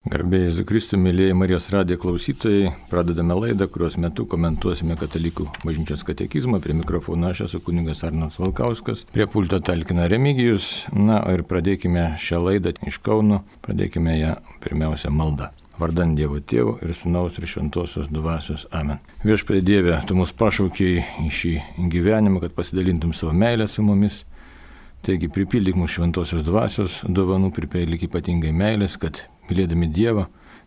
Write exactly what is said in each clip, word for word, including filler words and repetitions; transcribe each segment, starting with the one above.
Garbė Jėzui Kristui, mėlyjeji Marijos radijo klausytojai, pradedame laidą, kurios metu komentuosime Katalikų bažnyčios katekizmą. Prie mikrofono aš esu kunigas Arnoldas Valkauskas, prie pulto talkina Remigijus. Na ir pradėkime šią laidą iš Kauno, pradėkime ją pirmiausia malda. Vardan Dievo Tėvo ir Sūnaus ir Šventosios Dvasios. Amen. Viešpatie Dieve, Tu mus pašaukei į šį gyvenimą, kad pasidalintum savo meilę su mumis. Taigi pripildyk mūsų Šventosios Dvasios dovanų, pripildyk ypatingai meilės, kad mylėdami Dievą,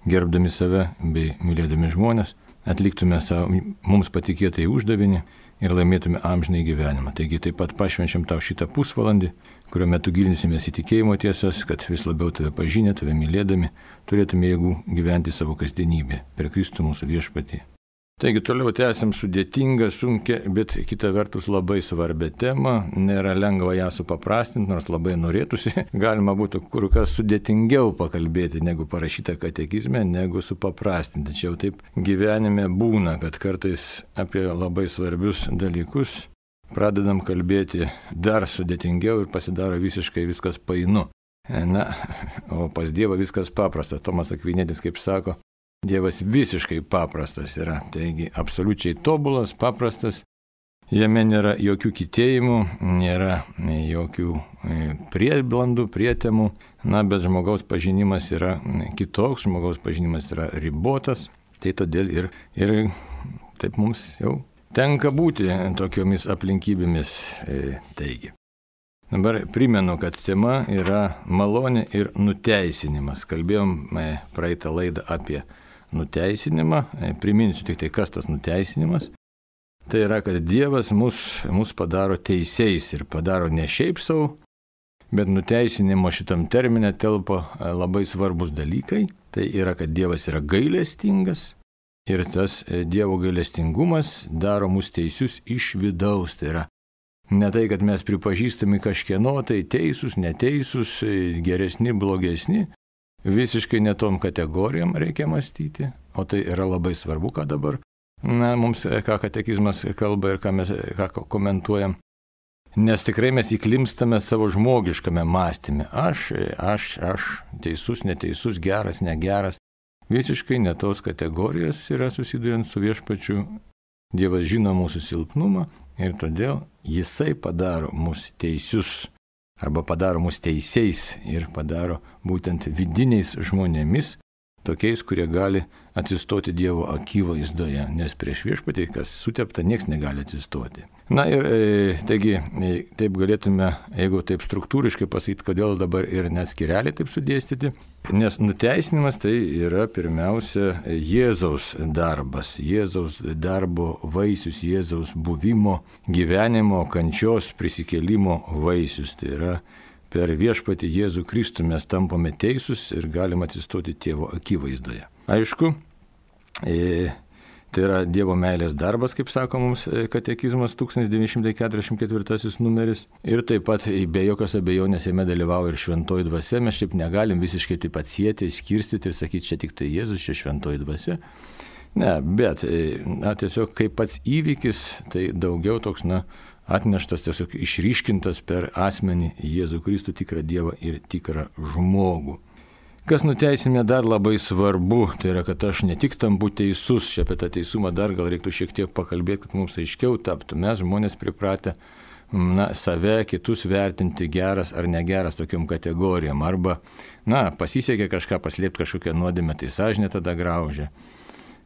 gerbdami save bei mylėdami žmonės, atliktume savo mums patikėtai uždavinį ir laimėtume amžinai gyvenimą. Taigi taip pat pašvenčiam tau šitą pusvalandį, kurio metu gilinsimės į tikėjimo tiesas, kad vis labiau tave pažinę, tave mylėdami, turėtume jėgų gyventi savo kasdienybę per Kristų mūsų viešpatį. Taigi toliau tęsim sudėtingą, sunkę, bet kita vertus labai svarbią temą. Nėra lengva ją supaprastinti, nors labai norėtųsi. Galima būtų kur kas sudėtingiau pakalbėti, negu parašyta katekizme, negu supaprastinti. Čia jau taip gyvenime būna, kad kartais apie labai svarbius dalykus pradedam kalbėti dar sudėtingiau ir pasidaro visiškai viskas painu. Na, o pas Dievą viskas paprasta. Tomas Akvinėtis, kaip sako, Dievas visiškai paprastas yra, taigi absoliučiai tobulas, paprastas, jame nėra jokių kitėjimų, nėra jokių prieblandų, prietemų, na, bet žmogaus pažinimas yra kitoks, žmogaus pažinimas yra ribotas, tai todėl ir, ir taip mums jau tenka būti tokiomis aplinkybėmis, taigi. Dabar primenu, kad tema yra malonė ir nuteisinimas. Kalbėjom praeitą laidą apie nuteisinimą. Priminsiu tik tai, kas tas nuteisinimas. Tai yra, kad Dievas mus, mus padaro teisiais ir padaro ne šiaip savo, bet nuteisinimo šitam termine telpa labai svarbus dalykai. Tai yra, kad Dievas yra gailestingas ir tas Dievo gailestingumas daro mus teisius iš vidaus. Tai yra ne tai, kad mes pripažįstami kažkieno, tai teisūs, neteisūs, geresni, blogesni. Visiškai netom kategorijom reikia mąstyti, o tai yra labai svarbu, ką dabar, na, mums, ką katekizmas kalba ir ką mes ką komentuojam. Nes tikrai mes įklimstame savo žmogiškame mąstyme. Aš, aš, aš, teisus, neteisus, geras, negeras. Visiškai ne tos kategorijos yra susiduriant su viešpačiu. Dievas žino mūsų silpnumą ir todėl Jisai padaro mus teisius arba padaro mus teisiais ir padaro būtent vidiniais žmonėmis, tokiais, kurie gali atsistoti Dievo akivaizdoje, nes prieš viešpatį, kas sutepta, nieks negali atsistoti. Na ir e, taigi, e, taip galėtume, jeigu taip struktūriškai pasakyti, kodėl dabar ir net skirelį taip sudėstyti, nes nuteisinimas tai yra pirmiausia Jėzaus darbas, Jėzaus darbo vaisius, Jėzaus buvimo, gyvenimo, kančios, prisikėlimo vaisius. Tai yra per viešpatį Jėzų Kristų mes tampame teisūs ir galim atsistoti Tėvo akivaizdoje. Aišku, e, tai yra Dievo meilės darbas, kaip sako mums katekizmas tūkstantis devyni šimtai keturiasdešimt ketvirtasis numeris. Ir taip pat be jokios abejonės jame dalyvauja ir šventoji dvasia. Mes šiaip negalim visiškai taip atsieti, skirstyti ir sakyti, čia tik tai Jėzus, čia šventoji dvasia. Ne, bet na, tiesiog kaip pats įvykis, tai daugiau toks, na, atneštas, tiesiog išryškintas per asmenį Jėzų Kristų, tikrą Dievą ir tikrą žmogų. Kas nuteisime dar labai svarbu, tai yra, kad aš ne tik tampu teisus, čia apie tą teisumą dar gal reiktų šiek tiek pakalbėti, kad mums aiškiau taptų. Mes žmonės pripratę, na, save, kitus vertinti geras ar negeras tokiom kategorijom. Arba, na, pasisekė kažką paslėpti kažkokią nuodėmę, tai sąžinė tada graužia.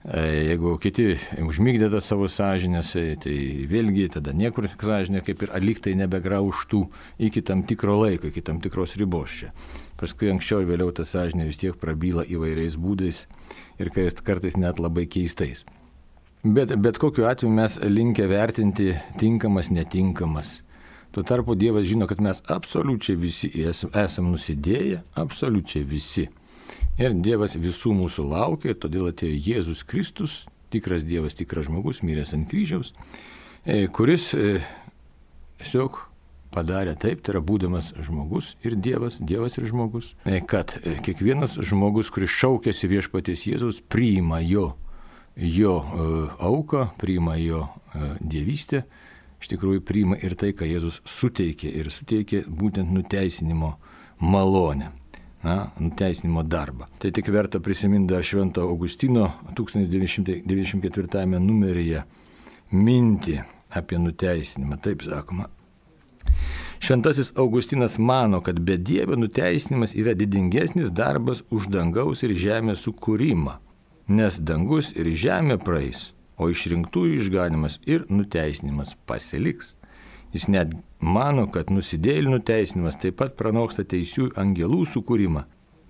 Jeigu kiti užmygdė tą savo sąžinės, tai vėlgi tada niekur sąžinė kaip ir atliktai nebegraužtų iki tam tikro laiko, iki tam tikros ribos čia. Paskui anksčiau ir vėliau ta sąžinė vis tiek prabyla įvairiais būdais ir kartais net labai keistais. Bet, bet kokiu atveju mes linkę vertinti tinkamas, netinkamas. Tuo tarpu Dievas žino, kad mes absoliučiai visi esam, esam nusidėję, absoliučiai visi. Ir Dievas visų mūsų laukia, ir todėl atėjo Jėzus Kristus, tikras Dievas, tikras žmogus, miręs ant kryžiaus, kuris tiesiog padarė taip, tai yra būdamas žmogus ir Dievas, Dievas ir žmogus, kad kiekvienas žmogus, kuris šaukėsi viešpaties Jėzaus, priima jo, jo auką, priima jo dievystę, iš tikrųjų priima ir tai, ką Jėzus suteikė, ir suteikė būtent nuteisinimo malonę. na, nuteisinimo darbą. Tai tik verta prisiminti dar Švento Augustino tūkstantis devyni šimtai devyniasdešimt ketvirtame numeryje mintį apie nuteisinimą. Taip sakoma. Šventasis Augustinas mano, kad bedievio nuteisinimas yra didingesnis darbas už dangaus ir žemės sukūrimą, nes dangus ir žemė praeis, o išrinktųjų išganimas ir nuteisinimas pasiliks. Jis net mano, kad nusidėjėlių nuteisinimas taip pat pranoksta teisių angelų sukūrimą,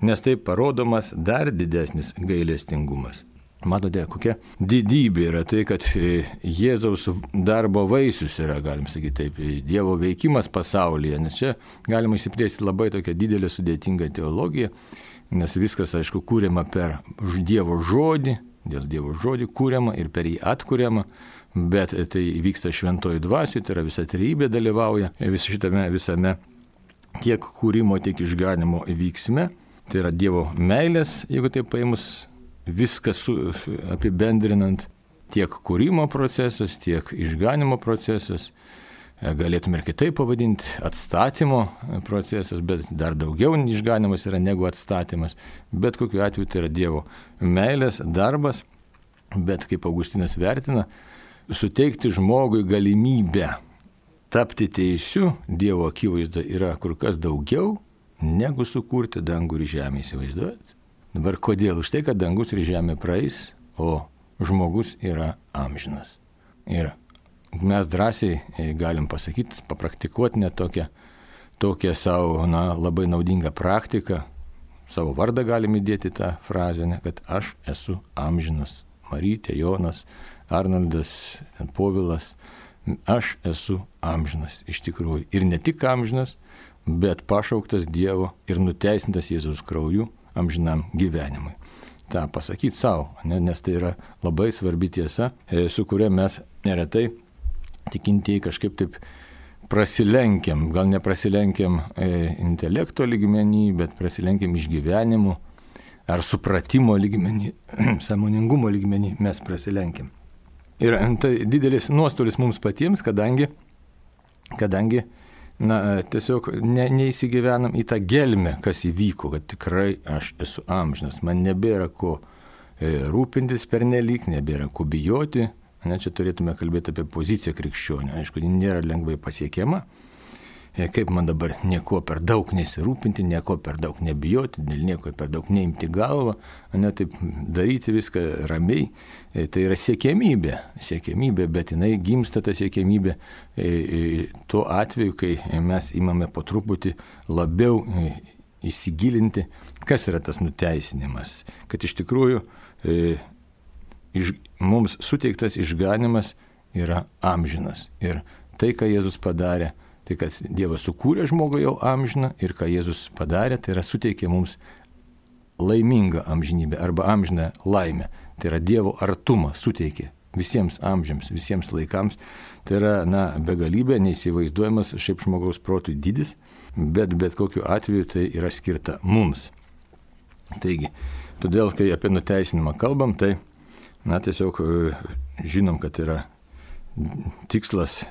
nes taip parodomas dar didesnis gailestingumas. Matote, kokia didybė yra tai, kad Jėzaus darbo vaisius yra, galim sakyti taip, Dievo veikimas pasaulyje, nes čia galima įsiplėsti labai tokią didelę sudėtingą teologiją, nes viskas, aišku, kūriama per Dievo žodį, dėl Dievo žodį kūriama ir per jį atkūriama, bet tai vyksta šventoji dvasioje, tai yra visa trejybė dalyvauja vis šitame visame tiek kūrimo, tiek išganimo vyksme. Tai yra Dievo meilės, jeigu taip paėmus viskas su, apibendrinant, tiek kūrimo procesas, tiek išganimo procesas, galėtume ir kitaip pavadinti, atstatymo procesas, bet dar daugiau išganimas yra negu atstatymas. Bet kokiu atveju tai yra Dievo meilės darbas, bet kaip Augustinas vertina, suteikti žmogui galimybę tapti teisiu Dievo akivaizda yra kur kas daugiau, negu sukurti dangų ir žemę, įsivaizduojat? Dabar kodėl? Už tai, kad dangus ir žemė praeis, o žmogus yra amžinas. Ir mes drąsiai galim pasakyti, papraktikuoti net tokią, tokią savo, na, labai naudingą praktiką, savo vardą galim įdėti tą frazę, ne, kad aš esu amžinas. Marytė, Jonas, Arnoldas, Povilas, aš esu amžinas iš tikrųjų. Ir ne tik amžinas, bet pašauktas Dievo ir nuteisintas Jėzaus krauju amžinam gyvenimui. Ta pasakyti savo, ne, nes tai yra labai svarbi tiesa, su kuria mes neretai tikintieji kažkaip taip prasilenkiam, gal neprasilenkiam e, intelekto lygmenį, bet prasilenkiam išgyvenimu ar supratimo lygmenį, sąmoningumo lygmenį mes prasilenkiam. Ir tai didelis nuostolis mums patiems, kadangi, kadangi na, tiesiog ne, neįsigyvenam į tą gelmę, kas įvyko, kad tikrai aš esu amžinas. Man nebėra ko e, rūpintis pernelyg, nebėra ko bijoti. Ne, čia turėtume kalbėti apie poziciją krikščionio. Aišku, ji nėra lengvai pasiekiama. E, kaip man dabar nieko per daug nesirūpinti, nieko per daug nebijoti, dėl nieko per daug neimti galvą, ne, taip daryti viską ramiai. E, tai yra siekiamybė, siekiamybė, bet jinai gimsta ta siekiamybė e, e, tuo atveju, kai mes imame po truputį labiau e, įsigilinti, kas yra tas nuteisinimas. Kad iš tikrųjų e, iš, mums suteiktas išganimas yra amžinas. Ir tai, ką Jėzus padarė, tai kad Dievas sukūrė žmogų jau amžiną ir ką Jėzus padarė, tai yra suteikė mums laimingą amžinybę arba amžiną laimę. Tai yra Dievo artumą suteikė visiems amžiams, visiems laikams. Tai yra, na, begalybė, neįsivaizduojamas šiaip žmogaus protui dydis, bet bet kokiu atveju tai yra skirta mums. Taigi, todėl, kai apie nuteisinimą kalbam, tai, na, tiesiog žinom, kad yra tikslas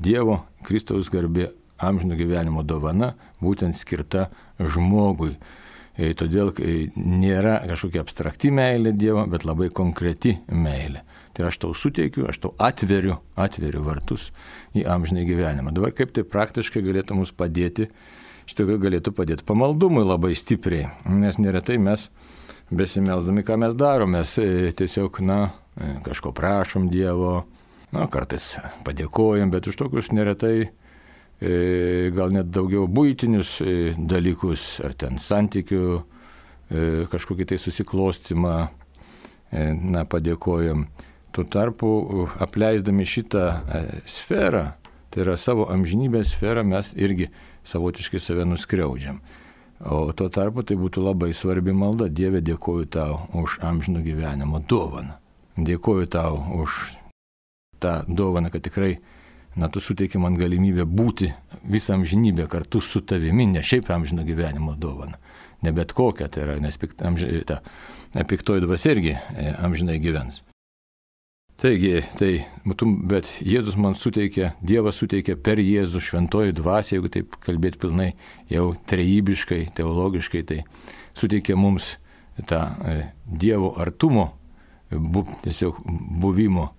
Dievo, Kristaus garbė, amžino gyvenimo dovana, būtent skirta žmogui. E, todėl e, nėra kažkokia abstrakti meilė Dievo, bet labai konkreti meilė. Tai aš tau suteikiu, aš tau atveriu, atveriu vartus į amžiną gyvenimą. Dabar kaip tai praktiškai galėtų mums padėti, šitą galėtų padėti pamaldumui labai stipriai, nes neretai mes besimelsdami, ką mes darome, mes e, tiesiog, na, e, kažko prašom Dievo, na, kartais padėkojam, bet už tokius neretai e, gal net daugiau buitinius e, dalykus, ar ten santykių, e, kažkokį tai susiklostymą, e, na, padėkojam. Tuo tarpu, apleisdami šitą e, sferą, tai yra savo amžinybės sferą, mes irgi savotiškai save nuskriaudžiam. O tuo tarpu tai būtų labai svarbi malda. Dieve, dėkoju tau už amžino gyvenimo dovaną. Dėkoju tau už tą dovaną, kad tikrai, na, tu suteiki man galimybę būti visą amžinybę kartu su tavimi, ne šiaip amžino gyvenimo dovaną, ne bet kokią, tai yra, nes pikt, amži, ta piktoji dvasia irgi amžinai gyvens. Taigi, tai, bet Jėzus man suteikė, Dievas suteikė per Jėzų šventoji dvasia, jeigu taip kalbėti pilnai, jau trejybiškai, teologiškai, tai suteikė mums tą e, Dievo artumo, bu, tiesiog buvimo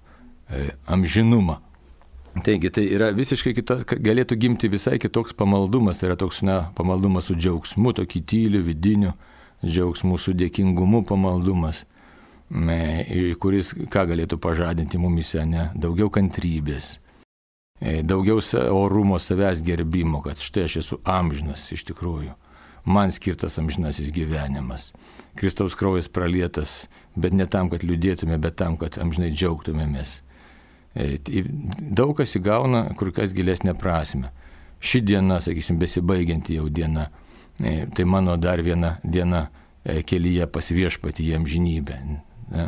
e, amžinumą. Taigi, tai yra visiškai kita, galėtų gimti visai kitoks pamaldumas, tai yra toks, na, pamaldumas su džiaugsmu, tokį tyliu, vidiniu džiaugsmu, su dėkingumu pamaldumas, kuris ką galėtų pažadinti mumise, ne? Daugiau kantrybės, daugiau orumo, savęs gerbimo, kad štai aš esu amžinas iš tikrųjų, man skirtas amžinasis gyvenimas. Kristaus kraujas pralietas, bet ne tam, kad liūdėtume, bet tam, kad amžinai džiaugtumėmės. Daug kas įgauna kur kas gilesnę prasme. Ši diena, sakysim, besibaigianti jau diena, tai mano dar viena diena kelyje pas viešpatį į amžinybę. Ne?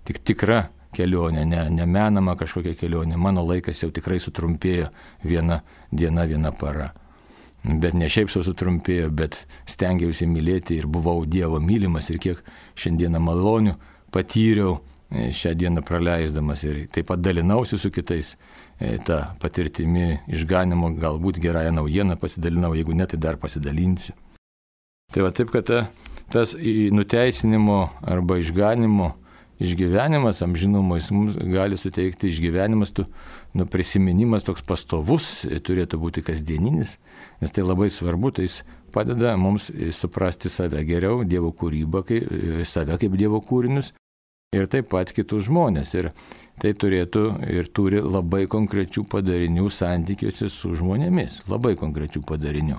Tik tikra kelionė, ne, ne menama kažkokia kelionė. Mano laikas jau tikrai sutrumpėjo viena diena, viena para. Bet ne šiaip sau sutrumpėjo, bet stengiausi mylėti ir buvau Dievo mylimas ir kiek šiandieną malonių patyriau šią dieną praleisdamas ir taip pat dalinausi su kitais tą patirtimi išganimo, galbūt gerąją naujieną pasidalinau, jeigu ne, tai dar pasidalinsiu. Tai va taip, kad ta, tas nuteisinimo arba išganimo išgyvenimas, amžinumo, jis mums gali suteikti išgyvenimas, tu, nu, prisiminimas toks pastovus, turėtų būti kasdieninis, nes tai labai svarbu, tai jis padeda mums suprasti save geriau, Dievo kūrybą, kaip, save kaip Dievo kūrinius ir taip pat kitus žmonės. Ir tai turėtų ir turi labai konkrečių padarinių santykiuose su žmonėmis, labai konkrečių padarinių.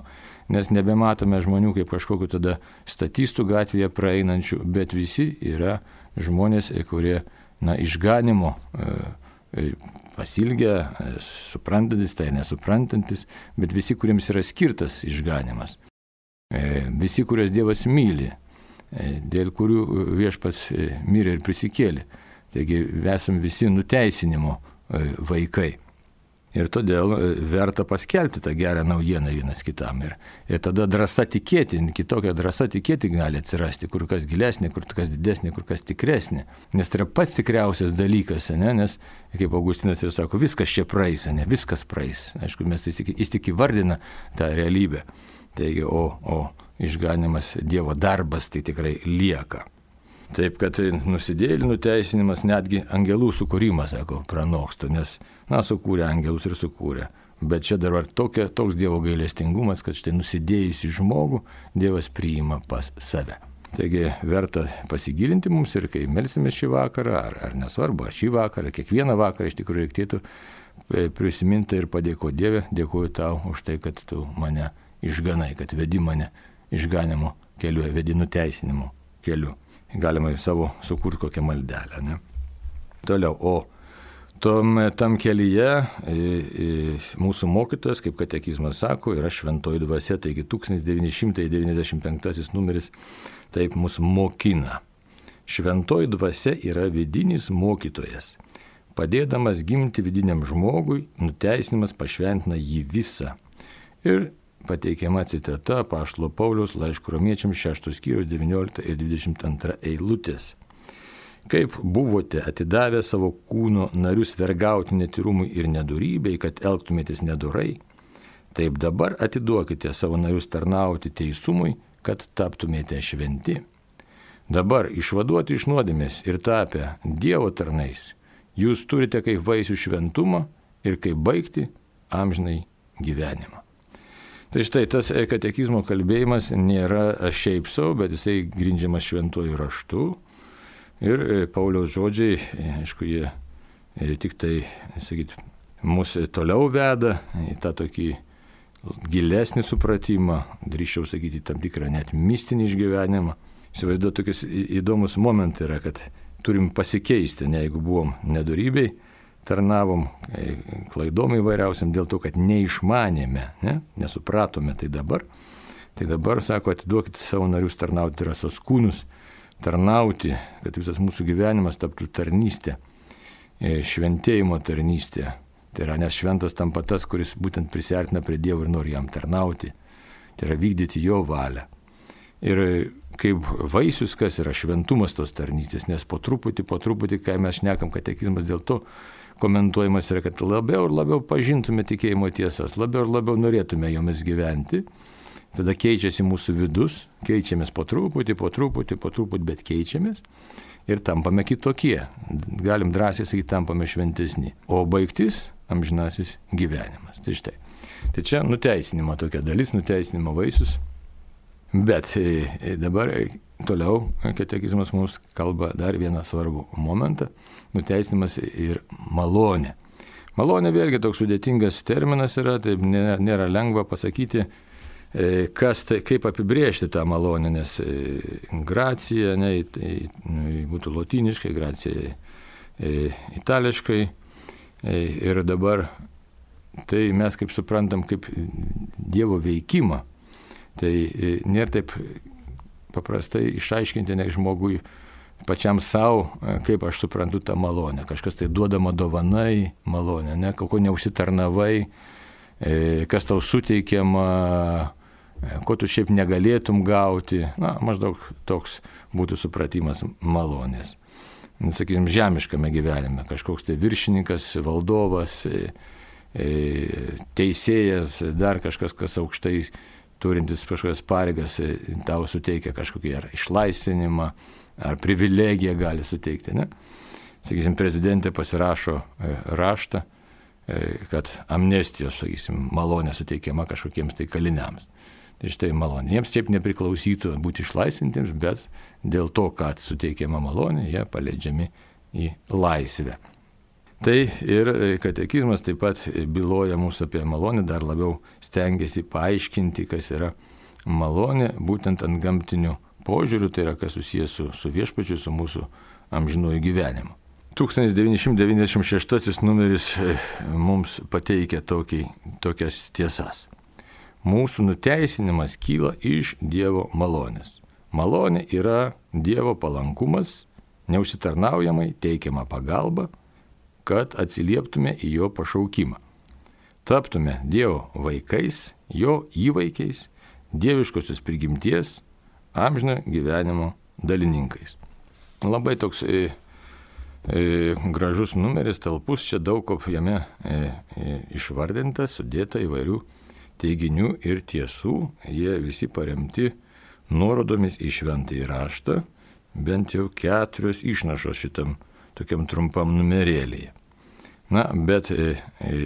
Nes nebematome žmonių kaip kažkokiu tada statistų gatvėje praeinančių, bet visi yra žmonės, kurie, na, išganimo e, pasilgę, e, suprantantis, tai nesuprantantis, bet visi, kuriems yra skirtas išganimas. E, visi, kuriuos Dievas myli, e, dėl kurių viešpats e, mirė ir prisikėlė. Taigi esam visi nuteisinimo e, vaikai. Ir todėl verta paskelbti tą gerą naujieną vienas kitam. Ir, ir tada drąsa tikėti, kitokia drąsa tikėti gali atsirasti, kur kas gilesnė, kur kas didesnė, kur kas tikresnė. Nes tai yra pats tikriausias dalykas, ne? Nes, kaip Augustinas ir sako, viskas čia praeis, ne? Viskas praeis. Aišku, mes tai tik, jis tik įvardina tą realybę. Taigi, o, o išganimas Dievo darbas tai tikrai lieka. Taip, kad nusidėjėlių nuteisinimas, netgi angelų sukūrimas, sako, pranoksta, nes, na, sukūrė angelus ir sukūrė. Bet čia dar tokia, toks Dievo gailestingumas, kad štai nusidėjusį žmogų Dievas priima pas save. Taigi verta pasigilinti mums ir kai melsimės šį vakarą, ar, ar nesvarbu, ar šį vakarą, kiekvieną vakarą iš tikrųjų reikėtų prisiminti ir padėkoti Dieve, dėkuoju tau už tai, kad tu mane išganai, kad vedi mane išganimo keliu, vedi nuteisinimo keliu. Galima savo sukurti kokią maldelę. Ne? Toliau, o tom, tam kelyje e, e, mūsų mokytojas, kaip katekizmas sako, yra šventoji dvasia, taigi tūkstantis devyni šimtai devyniasdešimt penktasis numeris taip mus mokina. Šventoji dvasia yra vidinis mokytojas. Padėdamas gimti vidiniam žmogui, nuteisinimas pašventina jį visą. Ir pateikiama citata apaštalo Pauliaus laiško romiečiams šeštos skyriaus devyniolikta ir dvidešimt antra eilutės. Kaip buvote atidavę savo kūno narius vergauti netyrumui ir nedorybei, kad elgtumėtės nedorai, taip dabar atiduokite savo narius tarnauti teisumui, kad taptumėte šventi. Dabar išvaduoti iš nuodėmės ir tapę Dievo tarnais, jūs turite kaip vaisių šventumą ir kaip baigti amžinai gyvenimą. Tai štai tas katekizmo kalbėjimas nėra šiaip sau, bet jisai grindžiamas šventuoju raštu. Ir Pauliaus žodžiai, aišku, jie tik tai, sakyt, mus toliau veda į tą tokį gilesnį supratimą, drįsčiau sakyti, tam tikrą net mistinį išgyvenimą. Įsivaizduoju, tokius įdomus momentai yra, kad turim pasikeisti, ne jeigu buvom nedorybei, tarnavom klaidom įvairiausiam dėl to, kad neišmanėme, ne? Nesupratome tai dabar. Tai dabar, sako, atiduokite savo narius tarnauti, tai yra sos kūnus tarnauti, kad visas mūsų gyvenimas taptų tarnystė, šventėjimo tarnystė. Tai yra, nes šventas tampa tas, kuris būtent prisiartina prie Dievo ir nori jam tarnauti. Tai yra vykdyti jo valią. Ir kaip vaisius, kas yra šventumas tos tarnystės, nes po truputį, po truputį, kai mes šnekam, katekizmas dėl to komentuojamas yra, kad labiau ir labiau pažintume tikėjimo tiesas, labiau ir labiau norėtume jomis gyventi, tada keičiasi mūsų vidus, keičiamės po truputį, po truputį, po truputį, bet keičiamės ir tampame kitokie, galim drąsiai sakyti, tampame šventesni, o baigtis amžinasis gyvenimas. Tai štai. Tai čia nuteisinimo tokia dalis, nuteisinimo vaisius. Bet dabar toliau katekizmas mums kalba dar vieną svarbų momentą – nuteisinimas ir malonė. Malonė vėlgi toks sudėtingas terminas yra, taip nėra, nėra lengva pasakyti, kas tai, kaip apibrėžti tą malonę, nes gracija, ne, tai būtų lotyniškai, gracija itališkai ir dabar tai mes kaip suprantam kaip Dievo veikimą. Tai nėra taip paprastai išaiškinti ne žmogui pačiam savo, kaip aš suprantu tą malonę. Kažkas tai duodama dovanai malonę, ne, ko neužsitarnavai, kas tau suteikiama, ko tu šiaip negalėtum gauti. Na, maždaug toks būtų supratimas malonės. Sakysim, žemiškame gyvenime kažkoks tai viršininkas, valdovas, teisėjas, dar kažkas, kas aukštai turintis kažkokias pareigas, tau suteikia kažkokį ar išlaisvinimą, ar privilegiją gali suteikti. Ne? Sakysim, prezidentė pasirašo raštą, kad amnestijos, sakysim, malonė suteikiama kažkokiems tai kaliniams. Tai štai malonė. Jiems taip nepriklausytų būti išlaisvintiems, bet dėl to, kad suteikiama malonė, jie paleidžiami į laisvę. Tai ir katekizmas taip pat byloja mūsų apie malonę, dar labiau stengiasi paaiškinti, kas yra malonė, būtent ant gamtinių požiūrių, tai yra kas susijęs su, su viešpačiu, su mūsų amžinuoju gyvenimu. tūkstantis devyni šimtai devyniasdešimt šeštasis numeris mums pateikia tokį, tokias tiesas. Mūsų nuteisinimas kyla iš Dievo malonės. Malonė yra Dievo palankumas, neužsitarnaujamai teikiama pagalba, kad atsilieptume į jo pašaukimą. Taptume Dievo vaikais, jo įvaikiais, dieviškosios prigimties, amžino gyvenimo dalininkais. Labai toks e, e, gražus numeris, talpus, čia daug ko jame e, e, išvardintas, sudėta įvairių teiginių ir tiesų. Jie visi paremti nuorodomis į šventąjį raštą, bent jau keturios išnašos šitam tokiam trumpam numerėlėje. Na, bet e, e,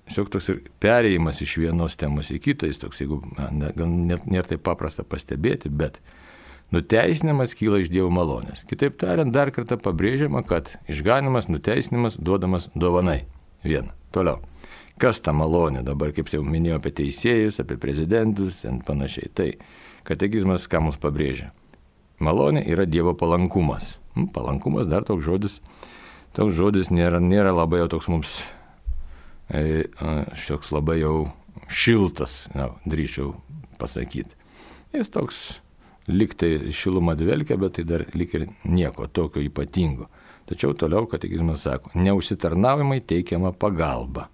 tiesiog toks ir perėjimas iš vienos temos į kitą, jis toks, jeigu ne, gal net nėra taip paprasta pastebėti, bet nuteisinimas kyla iš Dievo malonės. Kitaip tariant, dar kartą pabrėžiama, kad išganimas, nuteisinimas duodamas dovanai. Viena. Toliau. Kas ta malonė? Dabar, kaip jau minėjau, apie teisėjus, apie prezidentus ir panašiai. Tai katekizmas ką mums pabrėžia? Malonė yra Dievo palankumas. Palankumas dar toks žodis, toks žodis nėra, nėra labai jau toks mums, e, šioks labai jau šiltas, na, drįčiau pasakyti. Jis toks lyg tai šilumą dvelkia, bet tai dar lyg ir nieko tokio ypatingo. Tačiau toliau katekizmas sako, neužsitarnaujamai teikiama pagalba.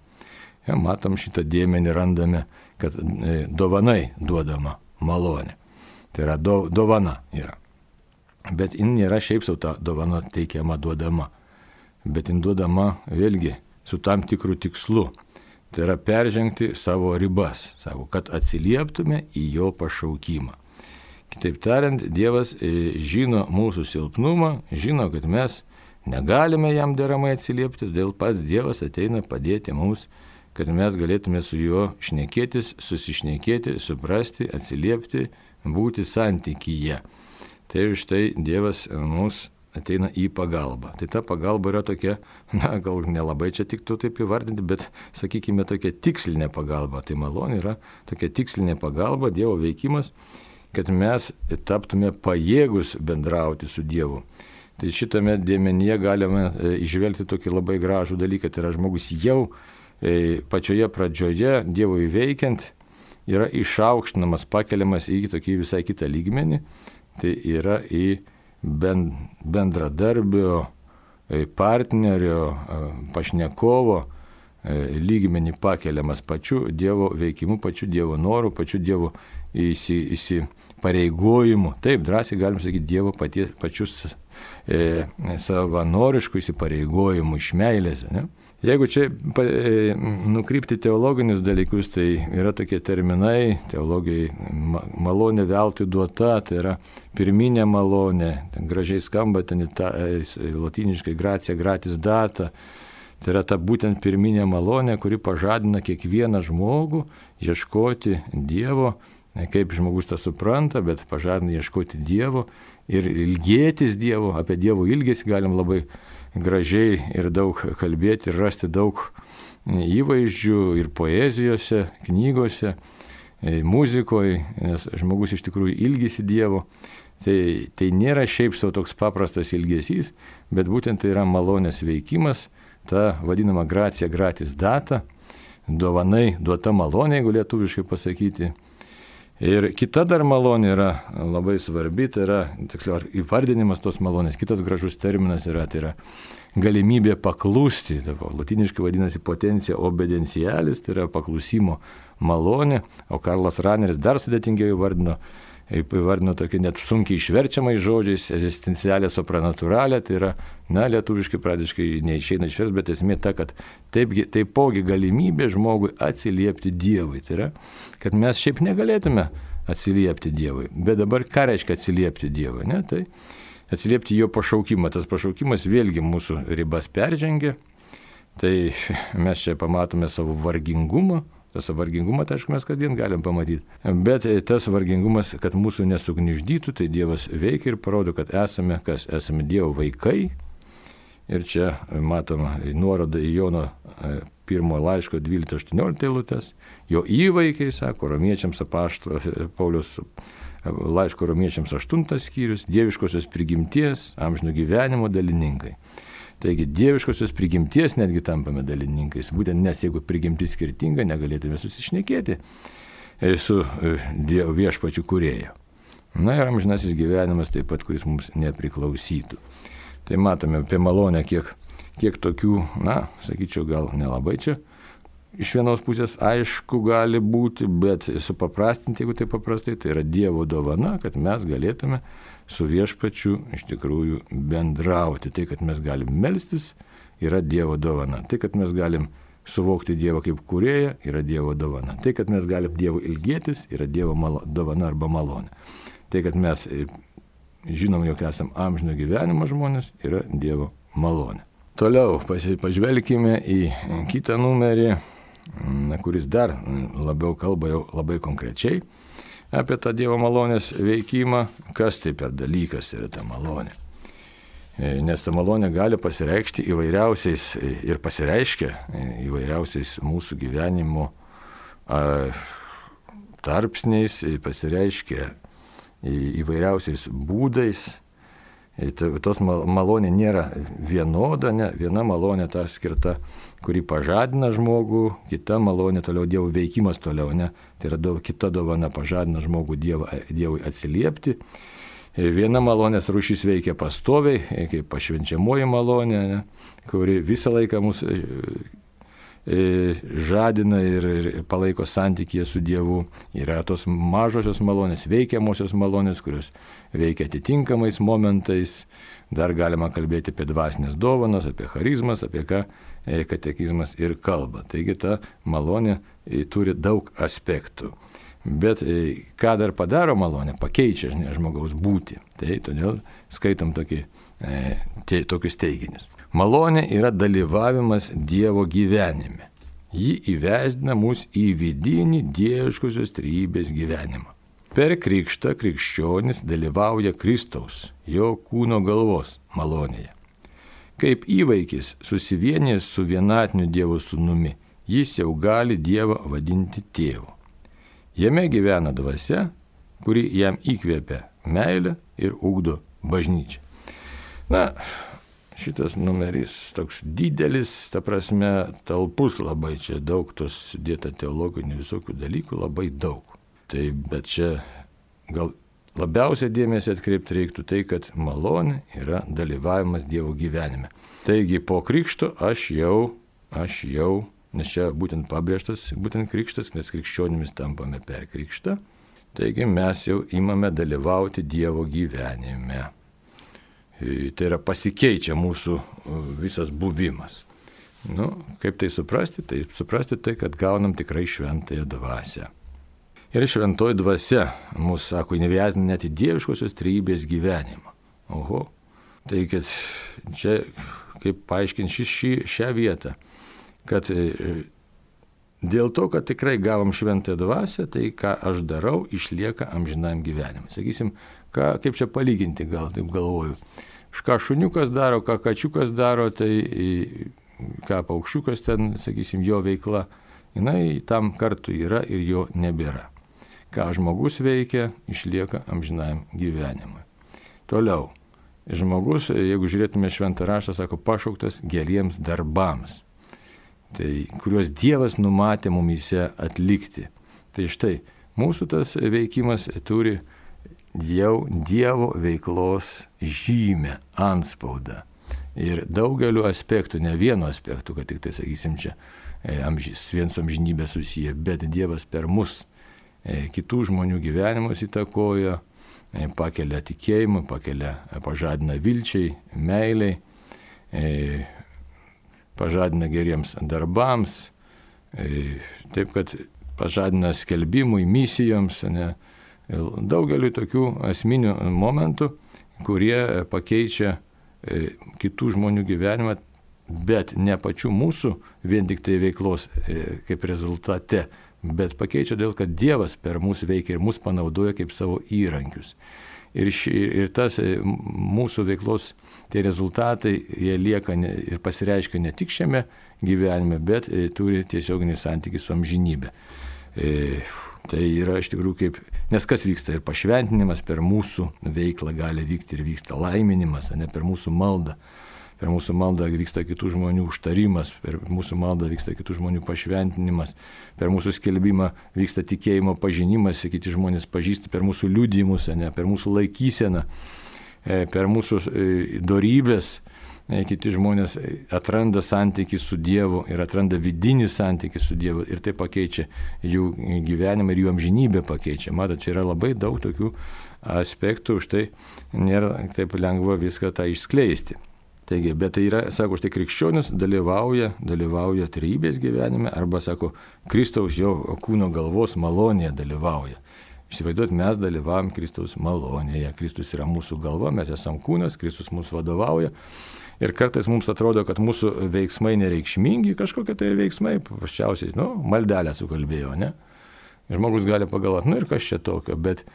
Ja, matom šitą dėmenį, randame, kad e, dovanai duodama malonė. Tai yra do, dovana yra. Bet jin nėra šiaip sau ta dovana teikiama duodama, bet jin duodama vėlgi su tam tikrų tikslu. Tai yra peržengti savo ribas, savo, kad atsilieptume į jo pašaukimą. Kitaip tariant, Dievas žino mūsų silpnumą, žino, kad mes negalime jam deramai atsiliepti, todėl pats Dievas ateina padėti mums, kad mes galėtume su juo šnekėtis, susišnekėti, suprasti, atsiliepti, būti santykyje. Tai štai Dievas mums ateina į pagalbą. Tai ta pagalba yra tokia, na, gal nelabai čia tiktų taip įvardinti, bet, sakykime, tokia tikslinė pagalba. Tai malonė yra tokia tikslinė pagalba, Dievo veikimas, kad mes taptume pajėgus bendrauti su Dievu. Tai šitame dėmenyje galime išvelgti tokį labai gražų dalyką. Tai yra žmogus jau pačioje pradžioje Dievui veikiant yra išaukštinamas, pakeliamas į tokį visai kitą lygmenį. Tai yra į bendradarbio, partnerio, pašnekovo lygmenį pakeliamas pačiu Dievo veikimu, pačiu Dievo noru, pačiu Dievo įsi, įsi pareigojimu. Taip, drąsiai galim sakyti Dievo patie, pačius e, savanoriškų įsipareigojimų iš meilės. Ne? Jeigu čia e, nukrypti teologinius dalykus, tai yra tokie terminai, teologijai malonė veltui duota, tai yra pirminė malonė, ten gražiai skamba, ten ta, e, lotyniškai gratia gratis data, tai yra ta būtent pirminė malonė, kuri pažadina kiekvieną žmogų ieškoti Dievo, kaip žmogus tą supranta, bet pažadina ieškoti Dievo ir ilgėtis Dievo, apie Dievo ilgesį galim labai gražiai ir daug kalbėti ir rasti daug įvaizdžių ir poezijose, knygose, muzikoje, nes žmogus iš tikrųjų ilgisi Dievo. Tai, tai nėra šiaip savo toks paprastas ilgesys, bet būtent tai yra malonės veikimas, ta vadinama gratia gratis data, dovanai duota malonė, jeigu lietuviškai pasakyti. Ir kita dar malonė yra labai svarbi, tai yra, tiksliau, įvardinimas tos malonės. Kitas gražus terminas yra, tai yra galimybė paklusti. Tai latiniškai vadinasi potencija obedientialis, tai yra paklusimo malonė. O Karlas Raneris dar sudėtingiau įvardino, įvardino tokį net sunkiai išverčiamais žodžiais, egzistencialė supranatūralė, tai yra, na, lietuviškai pradiškai neišeina išvers, bet esmė ta, kad taip, taipogi galimybė žmogui atsiliepti Dievui. Tai yra, kad mes šiaip negalėtume atsiliepti Dievui. Bet dabar ką reiškia atsiliepti Dievui? Ne? Tai atsiliepti jo pašaukimą. Tas pašaukimas vėlgi mūsų ribas peržengia. Tai mes čia pamatome savo vargingumą. Tas vargingumą, tai aišku, mes kasdien galim pamatyti. Bet tas vargingumas, kad mūsų nesugniuždytų, tai Dievas veikia ir parodo, kad esame, kas esame Dievo vaikai. Ir čia matoma nuoroda į Jono pirmo laiško dvylikta aštuoniolikta eilutes. Jo įvaikiai, sako, romiečiams apaštalo Pauliaus laiško romiečiams aštuntas skyrius, dieviškosios prigimties, amžino gyvenimo dalininkai. Taigi dieviškosios prigimties netgi tampame dalininkais, būtent nes jeigu prigimtis skirtinga, negalėtume susišnekėti su Dievo viešpačiu kūrėju. Na ir amžinasis gyvenimas taip pat, kuris mums nepriklausytų. Tai matome apie malonę, kiek, kiek tokių, na, sakyčiau, gal nelabai čia iš vienos pusės aišku gali būti, bet supaprastinti, jeigu tai paprastai, tai yra Dievo dovana, kad mes galėtume su viešpačiu iš tikrųjų bendrauti. Tai, kad mes galim melstis, yra Dievo dovana. Tai, kad mes galim suvokti Dievą kaip kūrėją, yra Dievo dovana. Tai, kad mes galim Dievo ilgėtis, yra Dievo malo, dovana arba malonė. Tai, kad mes žinom, jog esam amžino gyvenimo žmonės, yra Dievo malonė. Toliau pažvelkime į kitą numerį, kuris dar labiau kalba jau labai konkrečiai apie tą Dievo malonės veikimą, kas tai per dalykas yra ta malonė. Nes ta malonė gali pasireikšti įvairiausiais ir pasireiškia įvairiausiais mūsų gyvenimo tarpsniais, pasireiškia įvairiausiais būdais. Tos malonė nėra vienoda, ne, viena malonė ta skirta, kuri pažadina žmogų, kita malonė toliau Dievo veikimas toliau, ne, tai yra do, kita dovana pažadina žmogų Dievo, Dievui atsiliepti. Viena malonės rūšis veikia pastoviai, kaip pašvenčiamoji malonė, ne, kuri visą laiką mus žadina ir, ir palaiko santykyje su Dievu. Yra tos mažosios malonės, veikiamosios malonės, kurios veikia atitinkamais momentais. Dar galima kalbėti apie dvasinės dovanas, apie charizmas, apie ką katekizmas ir kalba. Taigi ta malonė turi daug aspektų. Bet ką dar padaro malonė? Pakeičia žinai, žmogaus būtį. Tai todėl skaitom tokį, e, tokius teiginius. Malonė yra dalyvavimas Dievo gyvenime. Ji įvesdina mus į vidinį dieviškosios trejybės gyvenimą. Per krikštą krikščionis dalyvauja Kristaus, jo kūno galvos malonėje. Kaip įvaikis susivienijęs su vienatiniu Dievo sūnumi, jis jau gali Dievą vadinti tėvu. Jame gyvena dvasia, kuri jam įkvėpia meilę ir ugdo bažnyčią. Na, šitas numeris toks didelis, ta prasme, talpus labai, čia daug tos sudėta teologinių visokių dalykų, labai daug. Tai, bet čia gal labiausiai dėmesį atkreipti reiktų tai, kad malonė yra dalyvavimas Dievo gyvenime. Taigi po krikšto aš jau, aš jau, nes čia būtent pabrėžtas, būtent krikštas, nes krikščionimis tampame per krikštą, taigi mes jau imame dalyvauti Dievo gyvenime. Tai yra pasikeičia mūsų visas buvimas. Nu, kaip tai suprasti? Tai suprasti tai, kad gaunam tikrai šventąją dvasią. Ir šventoji dvasia mūsų, sako, įneviazina net į dieviškosios trejybės gyvenimą. Oho, tai kad čia, kaip paaiškinti šį, šią vietą, kad dėl to, kad tikrai gavom šventąją dvasią, tai ką aš darau, išlieka amžinam gyvenimui. Sakysim, ką, kaip čia palyginti, gal taip galvoju. Ką šuniukas daro, ką kačiukas daro, tai ką paukščiukas ten, sakysim, jo veikla, jinai tam kartu yra ir jo nebėra. Ką žmogus veikia, išlieka amžinam gyvenimui. Toliau, žmogus, jeigu žiūrėtume šventą raštą, sako, pašauktas geriems darbams, tai kuriuos Dievas numatė mumyse atlikti. Tai štai, mūsų tas veikimas turi jau Dievo veiklos žymę, antspaudą. Ir daugeliu aspektų, ne vieno aspektų, kad tik tai, sakysim, čia amžys, vien su amžinybė susiję, bet Dievas per mus kitų žmonių gyvenimus įtakoja, pakelia tikėjimą, pakelia, pažadina vilčiai, meiliai, pažadina geriems darbams, taip kad pažadina skelbimui, misijoms, ne, daugeliu tokių esminių momentų, kurie pakeičia kitų žmonių gyvenimą, bet ne pačių mūsų vien tik tai veiklos kaip rezultate, bet pakeičia dėl, kad Dievas per mūsų veikia ir mus panaudoja kaip savo įrankius. Ir, ši, ir tas mūsų veiklos, tie rezultatai, jie lieka ne, ir pasireiškia ne tik šiame gyvenime, bet turi tiesioginį santykį su amžinybė. E, tai yra iš tikrųjų kaip, nes kas vyksta ir pašventinimas per mūsų veiklą gali vykti ir vyksta laiminimas, ne per mūsų maldą. Per mūsų maldą vyksta kitų žmonių užtarimas, per mūsų maldą vyksta kitų žmonių pašventinimas, per mūsų skelbimą vyksta tikėjimo pažinimas, kiti žmonės pažįsta per mūsų liudijimus, ne, per mūsų laikyseną, per mūsų dorybės, kiti žmonės atranda santykį su Dievu ir atranda vidinį santykį su Dievu ir tai pakeičia jų gyvenimą ir jų amžinybę pakeičia. Matot, čia yra labai daug tokių aspektų, už tai nėra taip lengva viską tą išskleisti. Taigi, bet tai yra, sako, štai krikščionis dalyvauja, dalyvauja trejybės gyvenime, arba, sako, Kristaus jo kūno galvos malonėje dalyvauja. Įsivaizduot, mes dalyvavom Kristaus malonėje, Kristus yra mūsų galva, mes esam kūnas, Kristus mūsų vadovauja. Ir kartais mums atrodo, kad mūsų veiksmai nereikšmingi, kažkokie tai veiksmai, paprasčiausiai, nu, maldelę sukalbėjo, ne? Žmogus gali pagalvoti, nu ir kas čia tokio, bet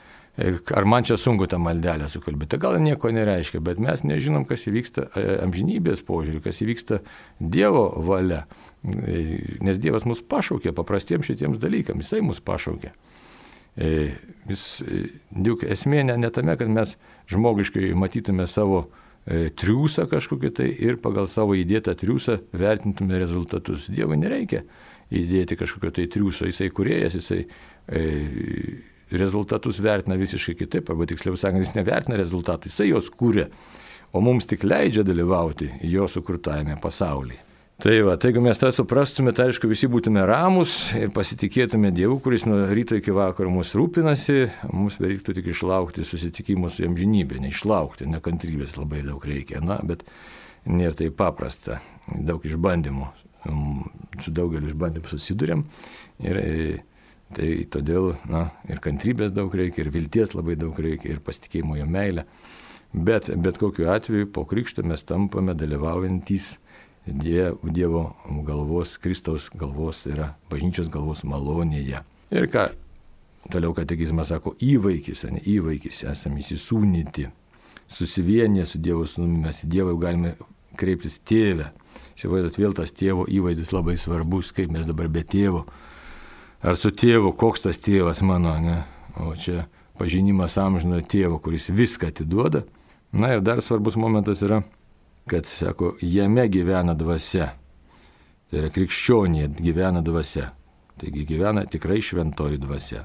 ar man čia sunku tą maldelę sukalbėti, gal nieko nereiškia, bet mes nežinom, kas įvyksta amžinybės požiūrį, kas įvyksta Dievo valia, nes Dievas mus pašaukė paprastiems šitiems dalykams, jisai mus pašaukė. Vis, juk esmė ne, ne tame, kad mes žmogiškai matytume savo triūsą kažkokį tai ir pagal savo įdėtą triūsą vertintume rezultatus. Dievui nereikia įdėti kažkokio tai triūso, jisai kūrėjas, jisai e, rezultatus vertina visiškai kitaip, arba tiksliau sakant, jis nevertina rezultatų, jisai juos kūrė, o mums tik leidžia dalyvauti jo sukurtajame pasaulyje. Tai va, tai jeigu mes tą suprastume, tai aišku, visi būtume ramus ir pasitikėtume Dievu, kuris nuo ryto iki vakaro mūsų rūpinasi, mums bereiktų tik išlaukti susitikimų su amžinybė, neišlaukti, nekantrybės labai daug reikia, na, bet nėra tai paprasta, daug išbandymų, su daugeliu išbandymų susidurėm ir tai todėl, na, ir kantrybės daug reikia, ir vilties labai daug reikia, ir pasitikėjimo jo meilę, bet bet kokiu atveju po krikšto mes tampame dalyvaujantys Dievo galvos, Kristaus galvos, tai yra bažnyčios galvos malonėje. Ir ką toliau katekizmas sako, įvaikis, ne įvaikis, esame įsisūnyti, susivienę su Dievo sūnumi, mes į Dievą galime kreiptis tėvę. Įsivaizduot, vėl tas tėvo įvaizdis labai svarbus, kaip mes dabar be tėvo. Ar su tėvu, koks tas tėvas mano, ne? O čia pažinimas amžino tėvo, kuris viską atiduoda. Na ir dar svarbus momentas yra, kad, sako, jame gyvena dvasia. Tai yra krikščionėje gyvena dvasia. Taigi gyvena tikrai šventoji dvasia.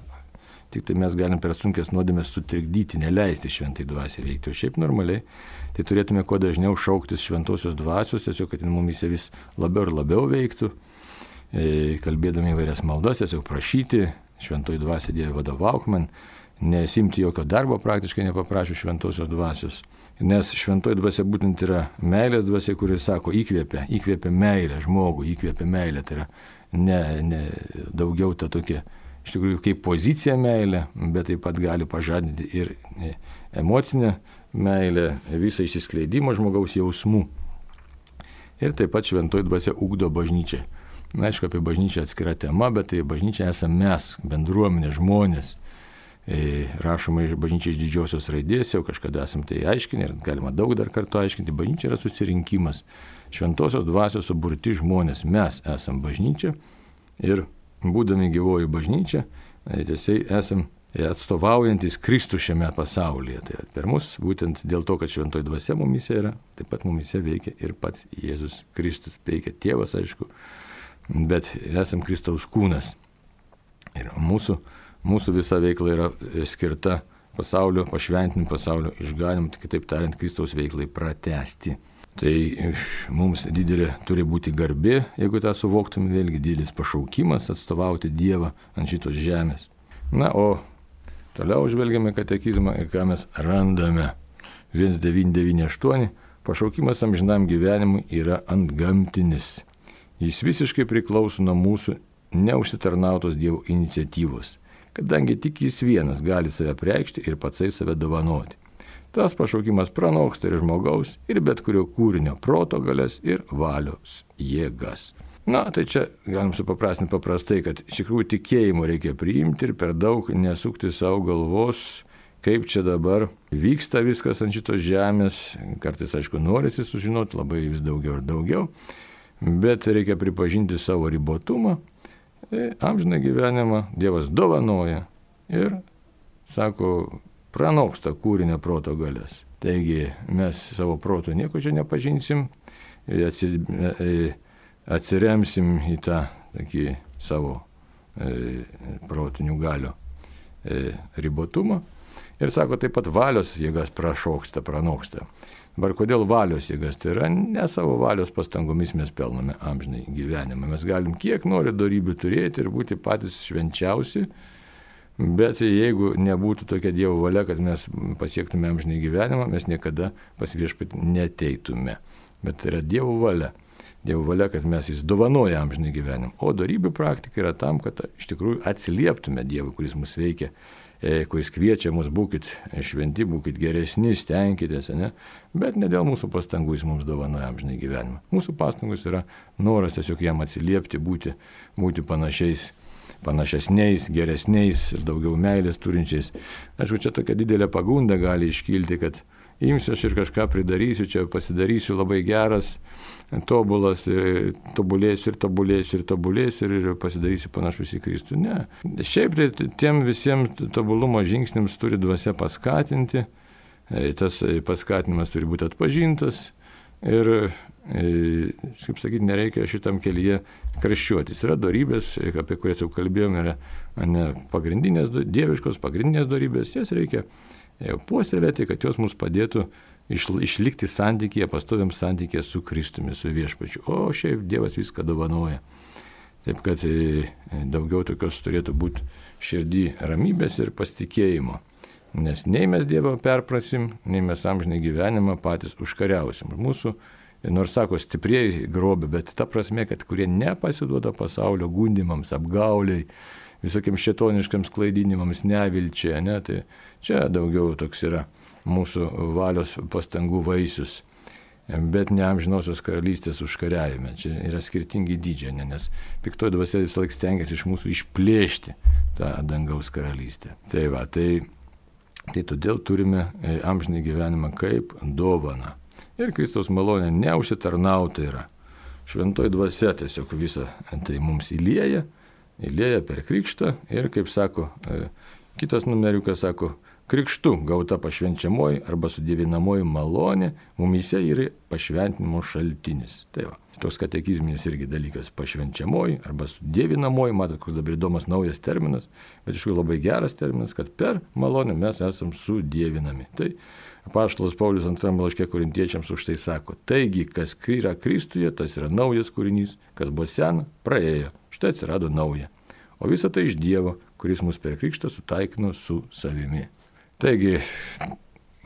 Tik tai mes galim per sunkės nuodėmės sutrikdyti, neleisti šventai dvasiai veikti. O šiaip normaliai, tai turėtume kuo dažniau šauktis šventosios dvasios, tiesiog, kad mumise vis labiau ir labiau veiktų, kalbėdami įvairias maldas, tiesiog prašyti, šventoji dvasia Dieve vadovauk man, nesimti jokio darbo praktiškai nepaprašius šventosios dvasios. Nes šventoji dvasia būtent yra meilės dvasia, kuris sako, įkvėpia, įkvėpia meilę žmogų, įkvėpia meilę. Tai yra ne, ne daugiau ta tokia, iš tikrųjų, kaip pozicija meilė, bet taip pat gali pažadinti ir emocinę meilę, visą išsiskleidimą žmogaus jausmų. Ir taip pat šventoji dvasia ugdo bažnyčią. Na, aišku, apie bažnyčią atskira tema, bet tai bažnyčia esame mes, bendruomenė, žmonės. Rašoma iš bažnyčia iš didžiosios raidės, jau kažkada esam tai aiškinę ir galima daug dar kartų aiškinti. Bažnyčia yra susirinkimas, šventosios dvasios suburti žmonės. Mes esam bažnyčia ir būdami gyvoji bažnyčia, tiesiai esam atstovaujantis Kristų šiame pasaulyje. Tai per mus, būtent dėl to, kad šventoji dvasia mumise yra, taip pat mumise veikia ir pats Jėzus Kristus, veikia tėvas, aišku, bet esam Kristaus kūnas. Ir mūsų Mūsų visa veikla yra skirta pasaulio, pašventinimui, pasaulio išganimui, kitaip tariant, Kristaus veiklai pratęsti. Tai mums didelė turi būti garbė, jeigu tą suvoktume, vėlgi didelis pašaukimas atstovauti Dievą ant šitos žemės. Na, o toliau žvelgiame katekizmą ir ką mes randame. vienas devyni devyni aštuoni pašaukimas amžinam gyvenimui yra antgamtinis. Jis visiškai priklauso nuo mūsų neužsitarnautos Dievo iniciatyvos, kadangi tik jis vienas gali save preikšti ir patsai save dovanoti. Tas pašaukimas pranoksta ir žmogaus, ir bet kurio kūrinio proto galias ir valios jėgas. Na, tai čia galim supaprastinti paprastai, kad iš tikrųjų tikėjimo reikia priimti ir per daug nesukti savo galvos, kaip čia dabar vyksta viskas ant šitos žemės. Kartais, aišku, norisi sužinoti labai vis daugiau ir daugiau, bet reikia pripažinti savo ribotumą. Amžiną gyvenimą Dievas dovanoja ir, sako, pranoksta kūrinio proto galias. Taigi mes savo proto nieko čia nepažinsim, atsiremsim į tą tokį savo e, protinių galių e, ribotumą. Ir sako, taip pat valios jėgas prašoksta, pranoksta. Dabar kodėl valios jėgas? Tai yra ne savo valios pastangomis mes pelnome amžinai gyvenimą. Mes galim kiek nori dorybių turėti ir būti patys švenčiausi, bet jeigu nebūtų tokia Dievo valia, kad mes pasiektume amžinai gyvenimą, mes niekada pas viešpatį neteitume. Bet tai yra Dievo valia. Dievo valia, kad mes jis dovanoja amžinai gyvenimą. O dorybių praktika yra tam, kad iš tikrųjų atsilieptume Dievui, kuris mus veikia, kuris kviečia mus, būkit šventi, būkit geresni, stenkitės, ne? Bet ne dėl mūsų pastangų jis mums dovanoja amžinai gyvenimą. Mūsų pastangos yra noras tiesiog jam atsiliepti, būti, būti panašiais, panašesniais, geresniais ir daugiau meilės turinčiais. Aišku, čia tokia didelė pagunda gali iškilti, kad imsiu aš ir kažką pridarysiu, čia pasidarysiu labai geras, tobulas, ir tobulėsiu ir tobulėsiu ir tobulėsiu ir pasidarysiu panašus į Kristų. Ne. Šiaip tai tiem visiems tobulumo žingsniams turi dvasia paskatinti, tas paskatinimas turi būti atpažintas ir, kaip sakyti, nereikia šitam kelyje karščiuotis. Yra dorybės, apie kurias jau kalbėjome, yra ne, pagrindinės, dieviškos pagrindinės dorybės, jas reikia puoselėti, kad jos mums padėtų išlikti santykėje, pastoviam santykėje su Kristumi, su viešpačiu. O šiaip Dievas viską dovanoja. Taip kad daugiau tokios turėtų būti širdį ramybės ir pasitikėjimo. Nes nei mes Dievą perprasim, nei mes amžinai gyvenimą patys užkariausim. Mūsų, nors sako, stiprieji grobė, bet ta prasme, kad kurie nepasiduoda pasaulio gundimams, apgauliai, visokiams šėtoniškams klaidinimams, nevilčiai, ne, tai čia daugiau toks yra mūsų valios pastangų vaisius, bet ne amžinosios karalystės užkariavime. Čia yra skirtingi dydžiai, ne, nes piktoji dvasia vis laik stengiasi iš mūsų išplėšti tą dangaus karalystę. Tai va, tai, tai todėl turime amžinį gyvenimą kaip dovaną. Ir Kristaus malonė neužsitarnauta yra. Šventoji dvasia tiesiog visą tai mums įlieja, įlieja per krikštą ir, kaip sako, kitas numeriukas sako, krikštu gauta pašvenčiamoji arba sudėvinamoji malonė mumyse yra pašventinimo šaltinis. Tai va, toks katekizminis irgi dalykas, pašvenčiamoji arba sudėvinamoji, matot, koks dabar įdomas naujas terminas, bet iš tikrųjų labai geras terminas, kad per malonę mes esam sudėvinami. Tai apaštalas Paulius antrame laiške korintiečiams už tai sako, taigi, kas yra Kristuje, tas yra naujas kūrinys, kas buvo sena, praėjo, štai atsirado nauja. o visa tai iš Dievo, kuris mus per krikštą sutaikino su savimi. Taigi,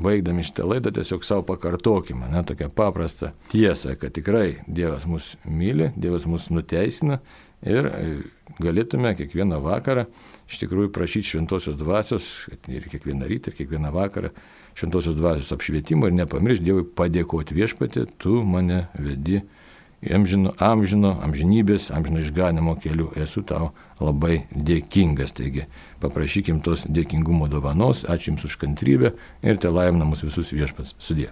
baigdami šitą laidą tiesiog savo pakartokime, ne, tokią paprastą tiesą, kad tikrai Dievas mus myli, Dievas mus nuteisina ir galėtume kiekvieną vakarą iš tikrųjų prašyti šventosios dvasios, ir kiekvieną rytą, ir kiekvieną vakarą šventosios dvasios apšvietimo ir nepamiršti Dievui padėkoti viešpatie, tu mane vedi amžino, amžino, amžinybės, amžino išganimo keliu. Esu tau labai dėkingas. Taigi paprašykim tos dėkingumo dovanos, ačiū Jums už kantrybę ir te laimina mus visus viešpats. Sudie.